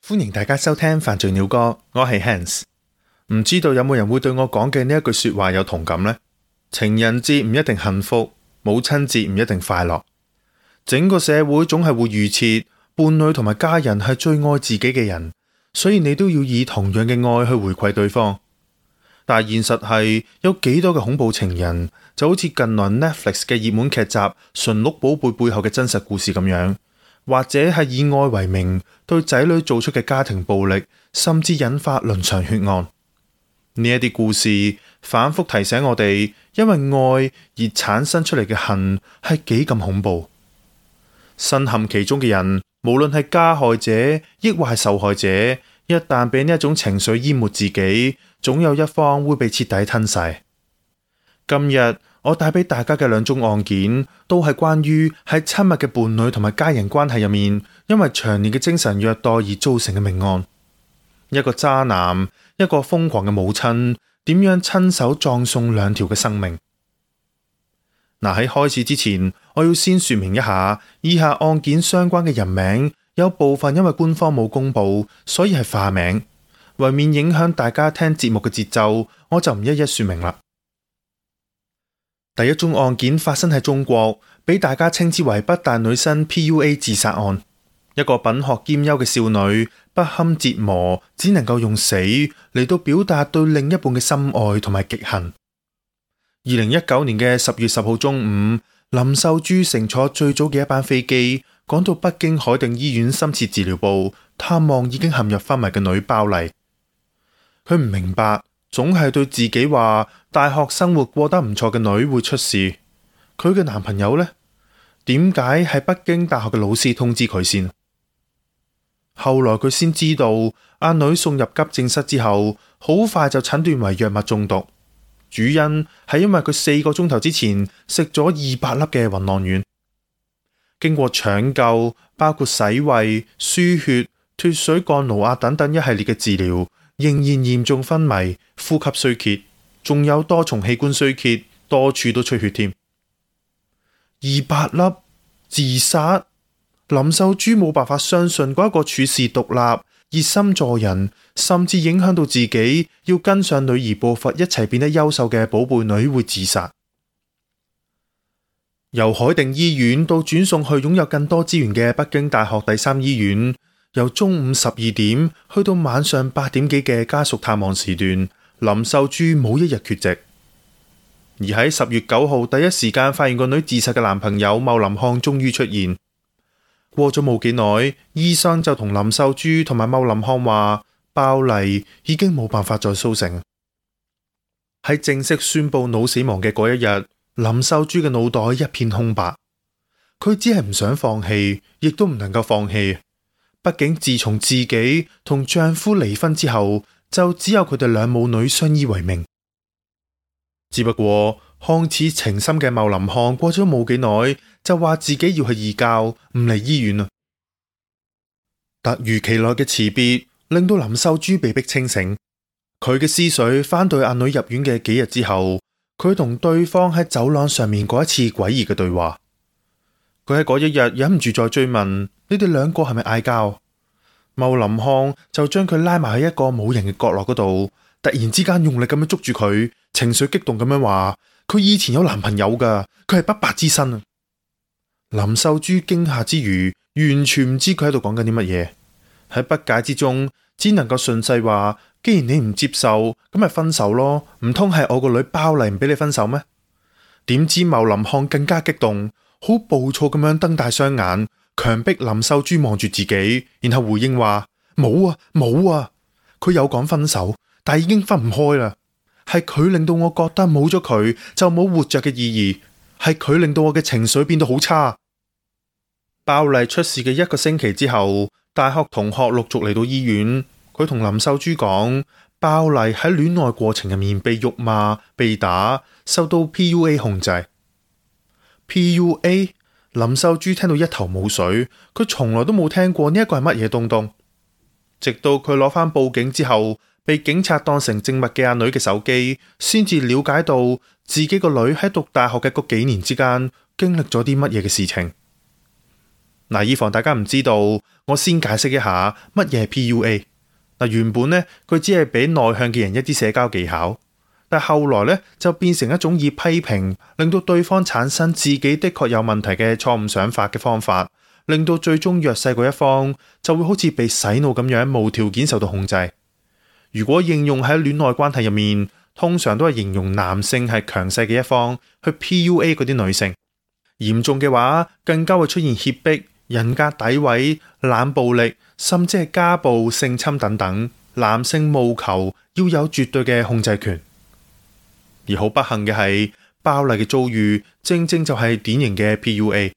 歡迎大家收聽犯罪鳥歌，我係 Hans。唔知道有冇人會對我講嘅呢一句說話有同感呢？情人節唔一定幸福，母親節唔一定快樂。整個社會總係會預設伴侶同埋家人係最愛自己嘅人，所以你都要以同樣嘅愛去回饋對方。但係現實係有幾多嘅恐怖情人，就好似近來 Netflix 嘅熱門劇集《馴鹿寶貝》背後嘅真實故事咁樣，或者係以愛為名對仔女做出嘅家庭暴力，甚至引發倫常血案。呢一啲故事反覆提醒我哋，因為愛而產生出嚟嘅恨係幾咁恐怖。身陷其中嘅人，無論係加害者抑或係受害者，一旦俾呢一種情緒淹沒自己，總有一方會被徹底吞噬。今日我帶俾大家嘅兩宗案件，都係關於喺親密嘅伴侶同埋家人關係入面，因為長年嘅精神虐待而造成嘅命案。一個渣男，一個瘋狂嘅母親，點樣親手葬送兩條嘅生命？嗱，喺開始之前，我要先說明一下，以下案件相關嘅人名，有部分因為官方冇公布，所以係化名，為免影響大家聽節目嘅節奏，我就唔一一說明啦。第一宗案件發生喺中國，俾大家稱之為北大女生 PUA 自殺案。一個品學兼優嘅少女，不堪折磨，只能夠用死嚟到表達對另一半嘅深愛同埋極恨。2019年嘅10月10號中午，林秀珠乘坐最早嘅一班飛機，趕到北京海定醫院深切治療部探望已經陷入昏迷嘅女鮑麗。佢唔明白，總係對自己話大學生活過得唔錯嘅女會出事，佢嘅男朋友呢？點解係北京大學嘅老師通知佢先？後來佢先知道，阿女送入急症室之後，好快就診斷為藥物中毒，主因係因為佢4個鐘頭之前食咗200粒嘅暈浪丸。經過搶救，包括洗胃、輸血、脫水降顱壓等等一系列嘅治療，仍然嚴重昏迷、呼吸衰竭，仲有多重器官衰竭，多處都出血添。200粒自殺？林秀珠冇辦法相信嗰一個處事獨立、熱心助人，甚至影響到自己要跟上女兒步伐一齊變得優秀嘅寶貝女會自殺。由海定醫院到轉送去擁有更多資源嘅北京大學第三醫院，由中午12點去到晚上8點幾嘅家屬探望時段，林秀珠冇一日缺席。而喺10月9號第一時間發現個女自殺嘅男朋友茂林漢終於出現。過咗冇幾耐，醫生就同林秀珠同埋茂林漢話，鮑麗已經冇辦法再甦醒。喺正式宣布腦死亡嘅嗰一日，林秀珠嘅腦袋一片空白。佢只係唔想放棄，亦都唔能夠放棄。畢竟自從自己同丈夫離婚之後，就只有佢哋兩母女相依為命。只不過看似情深嘅茂林漢過咗冇幾耐，就話自己要去義教，唔嚟醫院啦。突如其來嘅辭別令到林秀珠被迫清醒，佢嘅思緒翻到阿女入院嘅幾日之後，佢同對方喺走廊上面嗰一次詭異嘅對話。佢喺嗰一日忍唔住再追問：你哋兩個係咪嗌交？茂林漢就將佢拉埋喺一個冇人嘅角落嗰度，突然之間用力咁樣捉住佢，情緒激動咁樣話：佢以前有男朋友噶，佢係不白之身啊！林秀珠驚嚇之餘，完全唔知佢喺度講緊啲乜嘢。喺不解之中，只能夠順勢話：既然你唔接受，咁咪分手咯。唔通係我個女鮑麗唔俾你分手咩？點知茂林漢更加激動，好暴躁咁樣瞪大雙眼，強迫林秀珠望住自己，然後回應話：冇啊，冇啊，佢有講分手，但已經分唔開啦。係佢令到我覺得冇咗佢就冇活着嘅意義，係佢令到我嘅情緒變到好差。鮑麗出事嘅1個星期之後，大學同學陸續嚟到醫院，佢同林秀珠講，鮑麗喺戀愛過程入面被辱罵、被打，受到 PUA 控制。PUA？ 林秀珠聽到一頭霧水，佢從來都冇聽過呢一個係乜嘢東東。直到佢攞返報警之後，被警察當成證物嘅阿女嘅手機，先至了解到自己個女喺讀大學嘅嗰幾年之間經歷咗啲乜嘢嘅事情。嗱，以防大家唔知道，我先解釋一下乜嘢係 PUA。嗱，原本呢，佢只係俾內向嘅人一啲社交技巧，但後來呢，就變成一種以批評令到對方產生自己的確有問題嘅錯誤想法嘅方法，令到最終弱勢嗰一方就會好似被洗腦咁樣無條件受到控制。如果應用喺戀愛關係入面，通常都係形容男性係強勢嘅一方去 PUA 嗰啲女性，嚴重嘅話更加會出現脅迫、人格詆毀、冷暴力，甚至係家暴、性侵等等。男性務求要有絕對嘅控制權，而好不幸嘅係，包麗嘅遭遇正正就係典型嘅 PUA。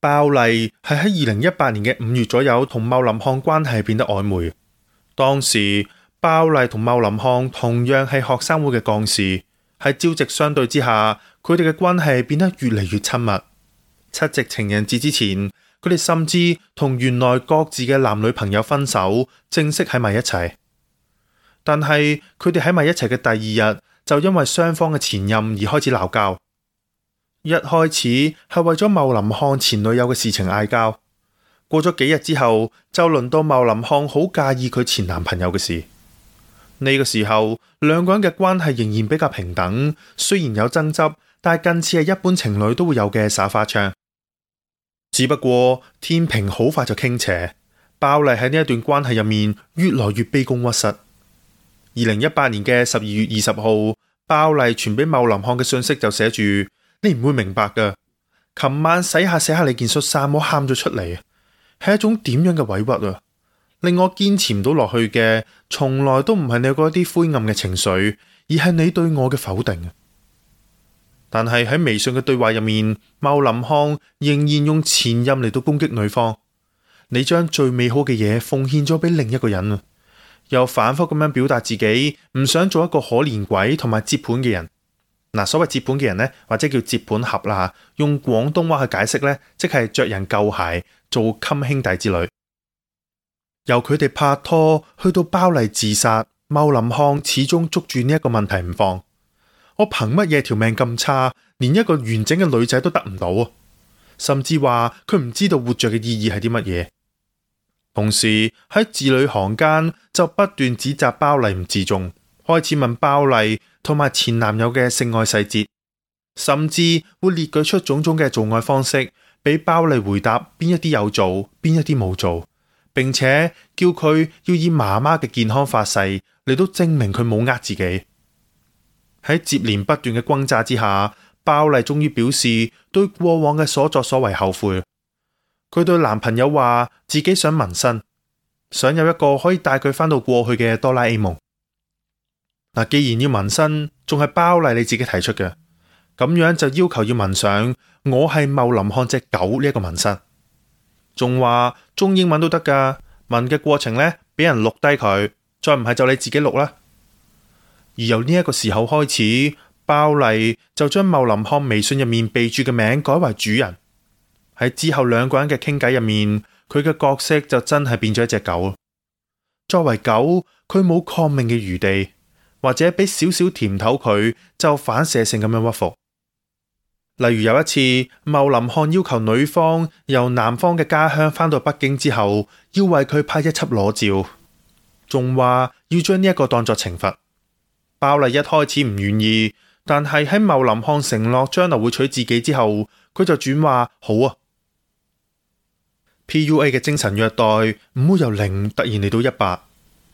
包麗係喺2018年嘅5月左右同茂林漢關係變得曖昧。當時包麗同茂林漢同樣係學生會嘅幹事，喺朝夕相對之下，佢哋嘅關係變得越嚟越親密。7夕情人節之前，佢哋甚至同原來各自嘅男女朋友分手，正式喺埋一齊。但係佢哋喺埋一齊嘅第二日，就因為雙方嘅前任而開始鬧交。一開始係為咗茂林漢前女友嘅事情嗌交，過咗幾日之後，就輪到茂林漢好介意佢前男朋友嘅事。呢個時候，兩個人嘅關係仍然比較平等，雖然有爭執，但係近似係一般情侶都會有嘅耍花槍。只不過天平好快就傾斜，包麗喺呢一段關係入面越來越卑躬屈膝。2018年嘅12月20號，包麗傳俾茂林漢嘅信息就寫住：你唔會明白噶，琴晚洗下你件恤衫，我喊咗出嚟，係一種點樣嘅委屈啊！令我堅持唔到落去嘅，從來都唔係你嗰啲灰暗嘅情緒，而係你對我嘅否定。但係喺微信嘅對話入面，茂林漢仍然用前任嚟到攻擊女方。你將最美好嘅嘢奉獻咗俾另一個人啊！又反覆咁樣表達自己唔想做一個可憐鬼同埋接盤嘅人。嗱，所謂接盤嘅人呢，或者叫接盤俠啦，用廣東話去解釋呢，即係着人舊鞋做襟兄弟之類。由佢哋拍拖去到包麗自殺，茂林漢始終捉住呢一個問題唔放。我憑乜嘢條命咁差，連一個完整嘅女仔都得唔到啊？甚至話佢唔知道活着嘅意義係啲乜嘢。同時喺字裏行間就不斷指責包麗唔自重，開始問包麗同埋前男友嘅性愛細節，甚至會列舉出種種嘅做愛方式，俾包麗回答邊一啲有做，邊一啲冇做，並且叫佢要以媽媽嘅健康發誓嚟到證明佢冇呃自己。喺接連不斷嘅轟炸之下，包麗終於表示對過往嘅所作所為後悔。佢對男朋友話自己想紋身，想有一個可以帶佢返到過去嘅哆啦 A 夢。嗱，既然要紋身，仲係包麗你自己提出嘅，咁樣就要求要紋上我係茂林漢隻狗呢一個紋身，仲話中英文都得噶。紋嘅過程呢，俾人錄低佢，再唔係就你自己錄啦。而由呢一個時候開始，包麗就將茂林漢微信入面備註嘅名改為主人。喺之後兩個人嘅傾偈入面，佢嘅角色就真係變咗一隻狗。作為狗，佢冇抗命嘅餘地，或者俾少少甜頭佢就反射性咁樣屈服。例如有一次，茂林漢要求女方由男方嘅家鄉返到北京之後，要為佢拍一輯裸照，仲話要將呢一個當作懲罰。包麗一開始唔願意，但係喺茂林漢承諾將來會娶自己之後，佢就轉話好啊。PUA 嘅精神虐待唔會由0突然嚟到100，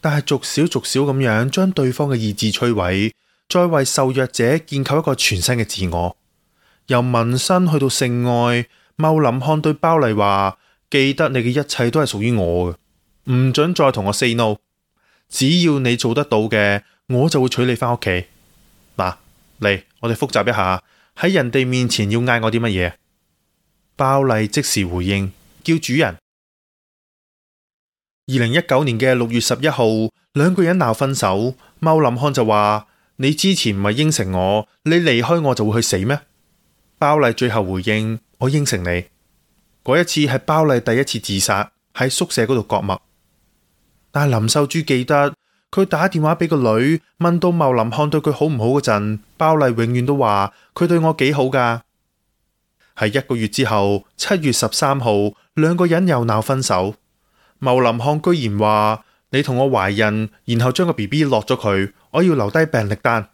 但係逐少咁樣將對方嘅意志摧毀，再為受虐者建構一個全新嘅自我。由紋身去到性愛，茂林漢對包麗話：記得你嘅一切都係屬於我嘅，唔准再同我 say no。只要你做得到嘅，我就會娶你返屋企。嗱，嚟，我哋複習一下，喺人哋面前要嗌我啲乜嘢？包麗即時回應，叫主人。2019年嘅6月11號，兩個人鬧分手，茂林漢就話：你之前唔係應承我，你離開我就會去死咩？包麗最後回應：我應承你。嗰一次係包麗第一次自殺，喺宿舍嗰度割脈。但係林秀珠記得，佢打電話俾個女，問到茂林漢對佢好唔好嗰陣，包麗永遠都話佢對我幾好噶。喺1個月之後，7月13號，兩個人又鬧分手。茂林漢居然話：你同我懷孕，然後將個 BB 落咗佢，我要留低病歷單。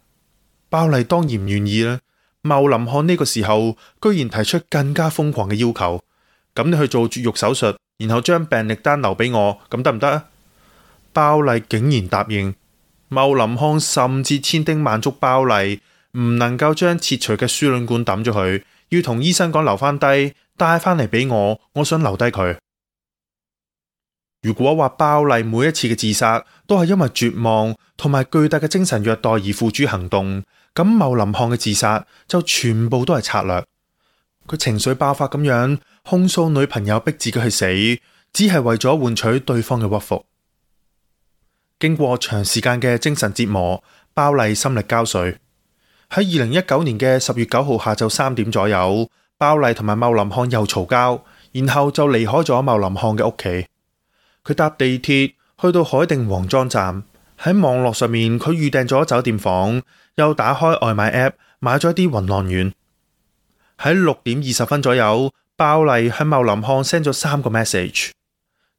鮑麗當然唔願意啦。茂林漢呢個時候居然提出更加瘋狂嘅要求：咁你去做絕育手術，然後將病歷單留俾我，咁得唔得啊？鮑麗竟然答應。茂林漢甚至千叮萬囑鮑麗唔能夠將切除嘅輸卵管抌咗佢，要同醫生講留翻低，帶翻嚟俾我，我想留低佢。如果話鮑麗每一次嘅自殺都係因為絕望同埋巨大嘅精神虐待而付諸行動，咁茂林漢嘅自殺就全部都係策略。佢情緒爆發咁樣控訴女朋友逼自己去死，只係為咗換取對方嘅屈服。經過長時間嘅精神折磨，鮑麗心力交瘁。喺2019年嘅10月9號下晝3點左右，鮑麗同埋茂林漢又嘈交，然後就離開咗茂林漢嘅屋企。佢搭地鐵去到海定皇莊站，喺網絡上面佢預訂咗酒店房，又打開外賣 app 買咗一啲暈浪丸。喺6點20分左右，鮑麗向茂林漢 send 咗3個 message。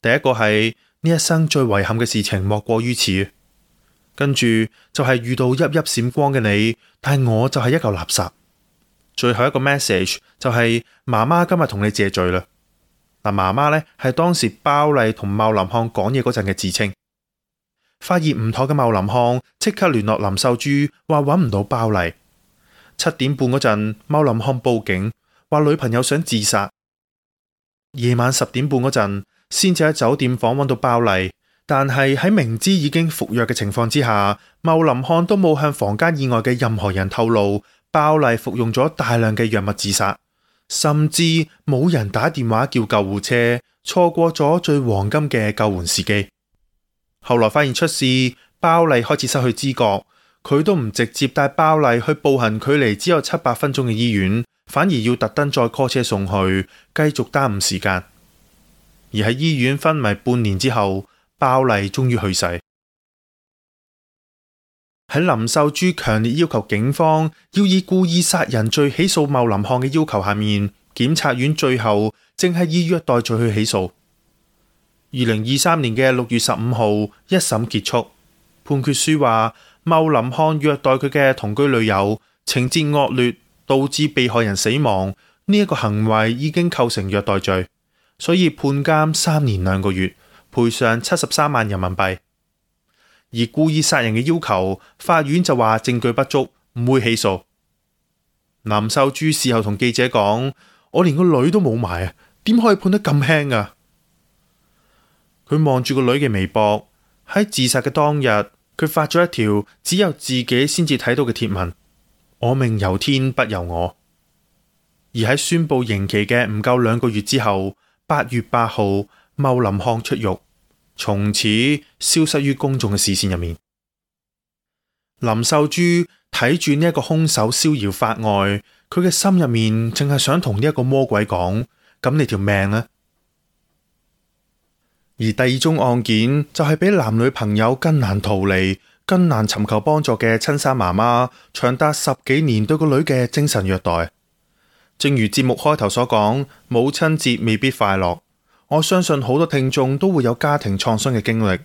第一個係：呢一生最遺憾嘅事情莫過於此。跟住就係遇到熠熠閃光嘅你，但係我就係一嚿垃圾。最後一個 message 就係：媽媽今日同你謝罪啦。嗱，媽媽呢係當時鮑麗同茂林漢講嘢嗰陣嘅自稱。發現唔妥嘅茂林漢即刻聯絡林秀珠，話揾唔到鮑麗。7點半嗰陣，茂林漢報警，話女朋友想自殺。夜晚10點半嗰陣，先至喺酒店房揾到鮑麗，但係喺明知已經服藥嘅情況之下，茂林漢都冇向房間以外嘅任何人透露鮑麗服用咗大量嘅藥物自殺，甚至冇人打電話叫救護車，錯過咗最黃金嘅救援時機。後來發現出事，鮑麗開始失去知覺，佢都唔直接帶鮑麗去步行距離只有700分鐘嘅醫院，反而要特登再 call 車送去，繼續耽誤時間。而喺醫院昏迷半年之後，鮑麗終於去世。喺林秀珠強烈要求警方要以故意殺人罪起訴茂林漢嘅要求下面，檢察院最後正係以虐待罪去起訴。2023年嘅6月15號，一審結束，判決書話茂林漢虐待佢嘅同居女友，情節惡劣，導致被害人死亡，呢一個行為已經構成虐待罪，所以判監3年2個月，賠償73萬人民幣。而故意殺人嘅要求，法院就話證據不足，唔會起訴。林秀珠事後同記者講：我連個女都冇埋啊，點可以判得咁輕啊？佢望住個女嘅微博，喺自殺嘅當日，佢發咗一條只有自己先至睇到嘅貼文：我命由天不由我。而喺宣布刑期嘅唔夠2個月之後，8月8號，茂林漢出獄，從此消失於公眾嘅視線入面。林秀珠睇住呢一個兇手逍遙法外，佢嘅心入面淨係想同呢一個魔鬼講：咁你條命呢？而第二宗案件就係比男女朋友更難逃離、更難尋求幫助嘅親生媽媽，長達10幾年對個女嘅精神虐待。正如節目開頭所講，母親節未必快樂。我相信好多聽眾都會有家庭創傷嘅經歷，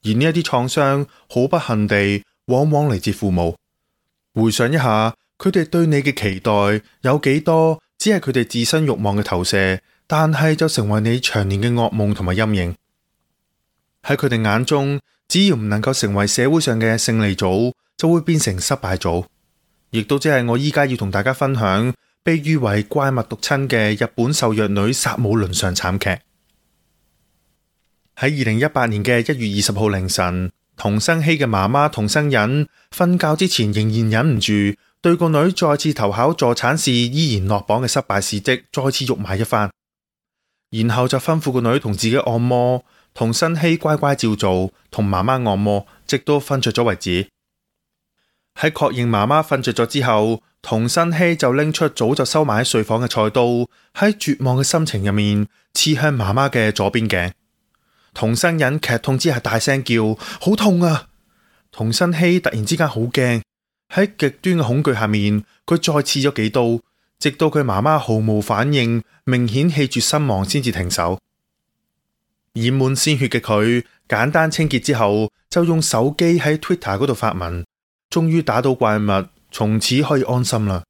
而呢一啲創傷好不幸地，往往嚟自父母。回想一下，佢哋對你嘅期待有幾多，只係佢哋自身慾望嘅投射，但係就成為你長年嘅噩夢同埋陰影。喺佢哋眼中，只要唔能夠成為社會上嘅勝利組，就會變成失敗組。亦都即係我依家要同大家分享，被譽為怪物毒親嘅日本受虐女殺母倫常慘劇。喺2018年嘅1月20號凌晨，童生希嘅媽媽童生忍瞓覺之前仍然忍唔住，對個女再次投考助產士依然落榜嘅失敗事蹟再次辱罵一番，然後就吩咐個女同自己按摩，童生希乖乖照做，同媽媽按摩，直到瞓着咗為止。喺確認媽媽瞓着咗之後，童生希就拎出早就收埋喺睡房嘅菜刀，喺絕望嘅心情入面刺向媽媽嘅左邊頸。童生忍劇痛之下大聲叫：好痛啊！童生希突然之間好驚，喺極端嘅恐懼下面，佢再刺咗幾刀，直到佢媽媽毫無反應，明顯氣絕身亡先至停手。染滿鮮血嘅佢簡單清潔之後，就用手機喺 Twitter 嗰度發文，終於打倒怪物，從此可以安心啦。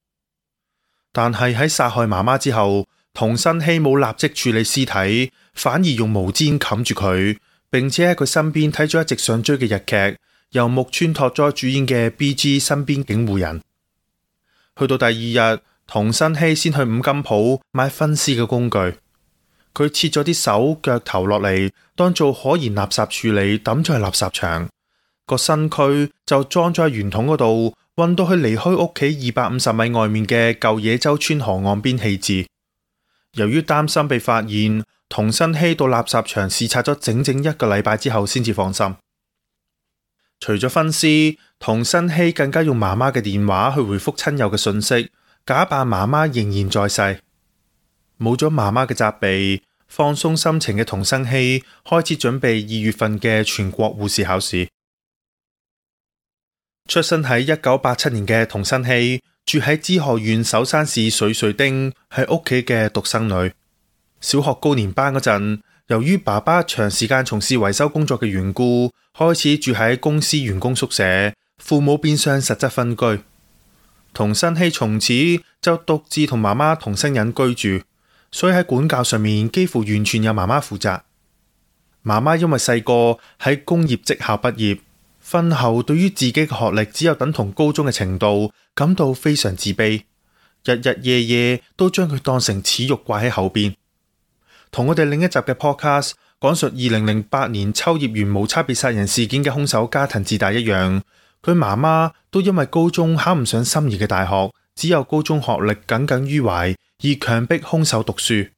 但係喺殺害媽媽之後，桐生希冇立即處理屍體，反而用毛氈冚住佢，並且喺佢身邊睇咗一直想追嘅日劇，由木村拓哉主演嘅 BG 身邊警護人。去到第二日，桐生希先去五金鋪買分屍嘅工具，佢切咗啲手腳頭落嚟，當做可燃垃圾處理，抌咗去垃圾場。個身軀就裝咗喺圓筒嗰度，運到去離開屋企250米外面嘅舊野洲村河岸邊棄置。由於擔心被發現，桐生希到垃圾場視察咗整整1個禮拜之後先至放心。除咗分屍，桐生希更加用媽媽嘅電話去回覆親友嘅信息，假扮媽媽仍然在世。冇咗媽媽嘅責備，放鬆心情嘅桐生希開始準備2月份嘅全國護士考試。出生喺1987年嘅桐生希住喺滋賀縣首山市水水町，係屋企嘅獨生女。小學高年班嗰陣，由於爸爸長時間從事維修工作嘅緣故，開始住喺公司員工宿舍，父母變相實質分居。桐生希從此就獨自同媽媽桐生忍居住，所以喺管教上面幾乎完全由媽媽負責。媽媽因為細個喺工業職校畢業，婚後對於自己嘅學歷只有等同高中嘅程度，感到非常自卑，日日夜夜都將佢當成恥辱掛喺後邊。同我哋另一集嘅 podcast 講述2008年秋葉原無差別殺人事件嘅兇手加藤智大一樣，佢媽媽都因為高中考唔上心儀嘅大學，只有高中學歷耿耿於懷，而強迫兇手讀書。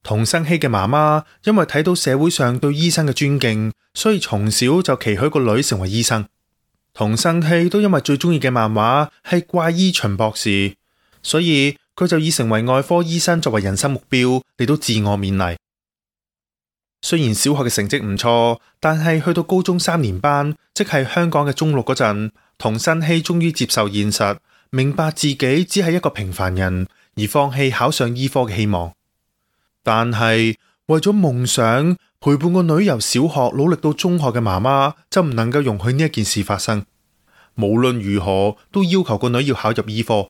桐生希嘅媽媽因為睇到社會上對醫生嘅尊敬，所以從小就期許個女成為醫生。桐生希都因為最中意嘅漫畫係怪醫秦博士，所以佢就以成為外科醫生作為人生目標嚟到自我勉勵。雖然小學嘅成績唔錯，但係去到高中3年班，即係香港嘅中六嗰陣，桐生希終於接受現實，明白自己只係一個平凡人，而放棄考上醫科嘅希望。但係為咗夢想陪伴個女由小學努力到中學嘅媽媽就唔能夠容許呢一件事發生，無論如何都要求個女要考入醫科。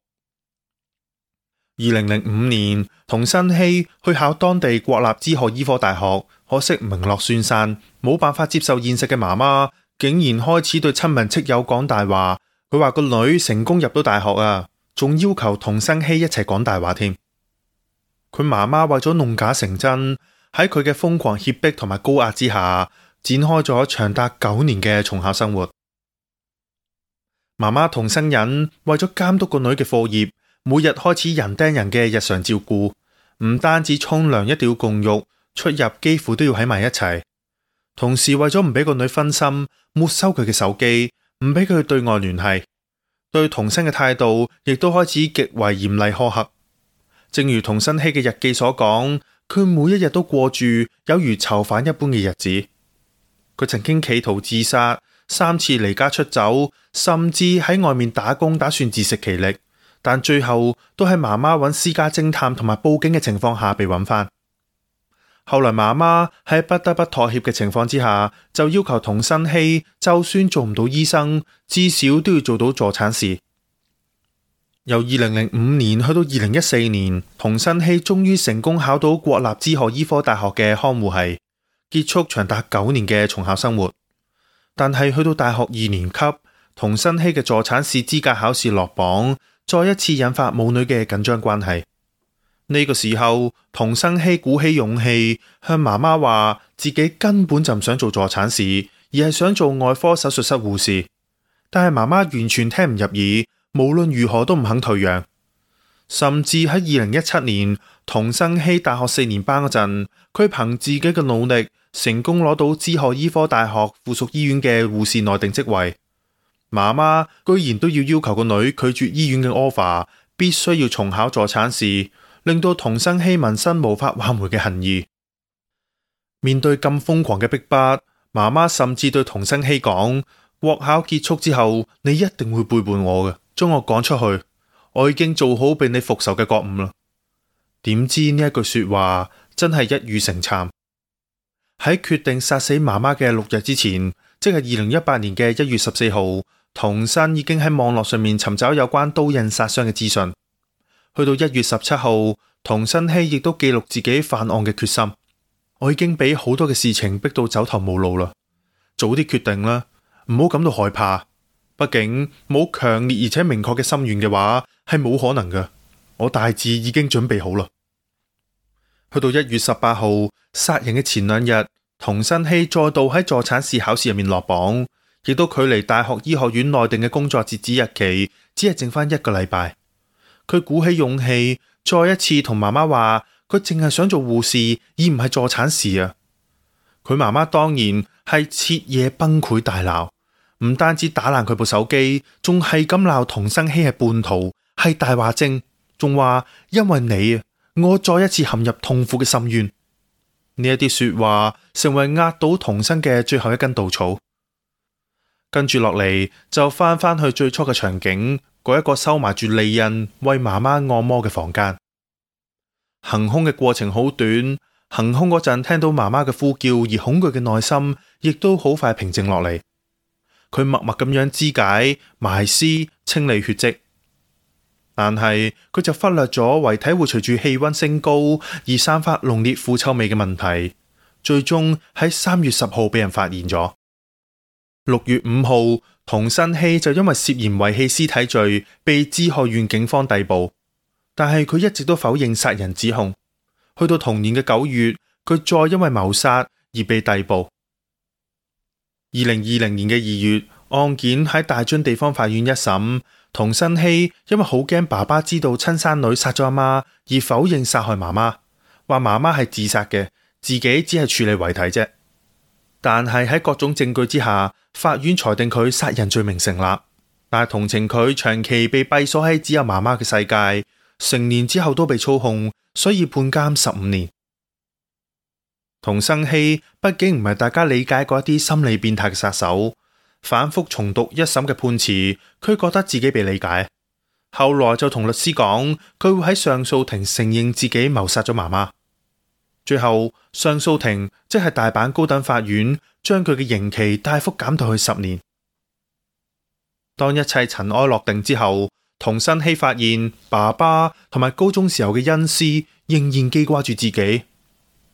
2005年，桐生希去考當地國立滋賀醫科大學，可惜名落孫山，冇辦法接受現實嘅媽媽竟然開始對親朋戚友講大話。佢話個女成功入到大學啊，仲要求桐生希一齊講大話添。佢媽媽為咗弄假成真，喺佢嘅瘋狂脅迫同埋高壓之下，展開咗長達9年嘅重考生活。媽媽桐生忍為咗監督個女嘅課業，每日開始人盯人嘅日常照顧，唔單止沖涼一定要共浴，出入幾乎都要喺埋一齊。同時為咗唔俾個女分心，沒收佢嘅手機，唔俾佢對外聯繫。對桐生嘅態度亦都開始極為嚴厲苛刻。正如桐生希嘅日記所講，佢每一日都過住有如囚犯一般嘅日子。佢曾經企圖自殺，3次離家出走，甚至喺外面打工，打算自食其力，但最後都喺媽媽揾私家偵探同埋報警嘅情況下被揾翻。後來媽媽喺不得不妥協嘅情況之下，就要求桐生希就算做唔到醫生，至少都要做到助產士。由2005年去到2014年，桐生希終於成功考到國立滋賀醫科大學嘅看護系，結束長達9年嘅重考生活。但係去到大學2年級，桐生希嘅助產士資格考試落榜，再一次引發母女嘅緊張關係。呢個時候，桐生希鼓起勇氣向媽媽話自己根本就唔想做助產士，而係想做外科手術室護士。但係媽媽完全聽唔入耳，無論如何都唔肯退讓。甚至喺2017年，桐生希大學4年班嗰陣，佢憑自己嘅努力，成功攞到滋賀醫科大學附屬醫院嘅護士內定職位。媽媽居然都要求個女拒絕醫院嘅 offer， 必須要重考助產士，令到桐生希萌生無法挽回嘅恨意。面對咁瘋狂嘅逼迫，媽媽甚至對桐生希講：國考結束之後，你一定會背叛我嘅，將我趕出去，我已經做好俾你復仇嘅覺悟啦。點知呢一句說話真係一語成讖。喺決定殺死媽媽嘅6日之前，即係2018年嘅1月14號，童生已經喺網絡上面尋找有關刀刃殺傷嘅資訊。去到1月17號，童生希亦都記錄自己犯案嘅決心。我已經俾好多嘅事情逼到走投無路啦，早啲決定啦，唔好感到害怕。畢竟冇強烈而且明確嘅心願嘅話，係冇可能嘅。我大致已經準備好啦。去到1月18號，殺人嘅前2日，童生希再度喺助產士考試入面落榜，亦都距離大學醫學院內定嘅工作截止日期只係剩翻1個禮拜。佢鼓起勇氣，再一次同媽媽話，佢淨係想做護士，而唔係助產士啊！佢媽媽當然係徹夜崩潰大鬧，唔單止打爛佢部手機，仲係咁鬧童生希係叛徒，係大話精，仲話因為你啊，我再一次陷入痛苦嘅深淵。呢一啲說話成為壓倒童生嘅最後一根稻草。跟住落嚟就翻去最初嘅場景，嗰一個收埋住利刃為媽媽按摩嘅房間。行兇嘅過程好短，行兇嗰陣聽到媽媽嘅呼叫而恐懼嘅內心，亦都好快平靜落嚟。佢默默咁樣肢解、埋屍、清理血跡，但係佢就忽略咗遺體會隨住氣溫升高而散發濃烈腐臭味嘅問題。最終喺3月10號俾人發現咗。6月5號，童生希就因為涉嫌遺棄屍體罪被滋賀縣警方逮捕，但係佢一直都否認殺人指控。去到同年嘅9月，佢再因為謀殺而被逮捕。2020年嘅2月，案件喺大津地方法院一審，童生希因為好驚爸爸知道親生女殺咗阿媽，而否認殺害媽媽，話媽媽係自殺嘅，自己只係處理遺體啫。但係喺各種證據之下，法院裁定佢殺人罪名成立，但係同情佢長期被閉鎖喺只有媽媽嘅世界，成年之後都被操控，所以判監15年。童生希畢竟唔係大家理解過一啲心理變態嘅殺手，反覆重讀一審嘅判詞，佢覺得自己被理解。後來就同律師講，佢會喺上訴庭承認自己謀殺咗媽媽。最後上訴庭即係大阪高等法院，將佢嘅刑期大幅減到去10年。當一切塵埃落定之後，童生希發現爸爸同埋高中時候嘅恩師仍然記掛住自己。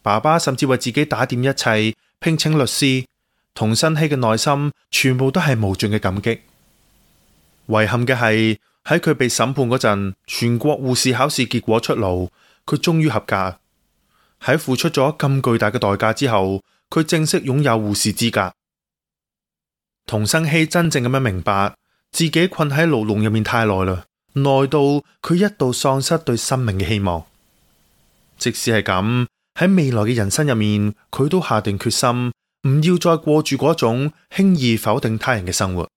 爸爸甚至為自己打點一切，聘請律師。童生希嘅內心全部都係無盡嘅感激。遺憾嘅係喺佢被審判嗰陣，全國護士考試結果出爐，佢終於合格。喺付出咗咁巨大嘅代價之後，佢正式擁有護士資格。童生希真正咁樣明白自己困喺牢籠入面太耐啦，耐到佢一度喪失對生命嘅希望。即使係咁，喺未來嘅人生入面，佢都下定決心唔要再過住嗰種輕易否定他人嘅生活。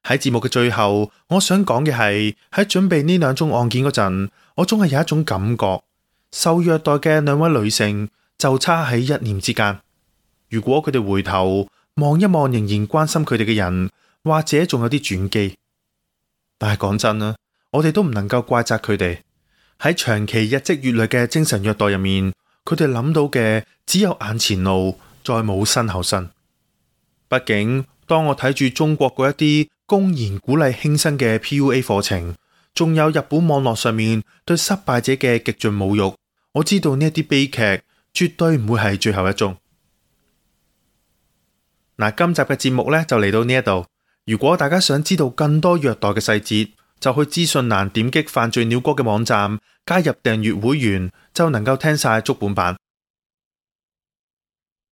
喺節目嘅最後，我想講嘅係喺準備呢2宗案件嗰陣，我總係有一種感覺。受虐待嘅2位女性就差喺一念之間。如果佢哋回頭望一望仍然關心佢哋嘅人，或者仲有啲轉機。但係講真啦，我哋都唔能夠怪責佢哋。喺長期日積月累嘅精神虐待入面，佢哋諗到嘅只有眼前路，再冇身後身。畢竟當我睇住中國嗰一啲公然鼓勵輕生嘅 PUA 課程，仲有日本網絡上面對失敗者嘅極盡侮辱，我知道呢一啲悲劇絕對唔會係最後一宗。嗱，今集嘅節目呢就嚟到呢一度。如果大家想知道更多虐待嘅細節，就去資訊欄點擊犯罪鳥歌嘅網站，加入訂閱會員，就能夠聽晒足本版。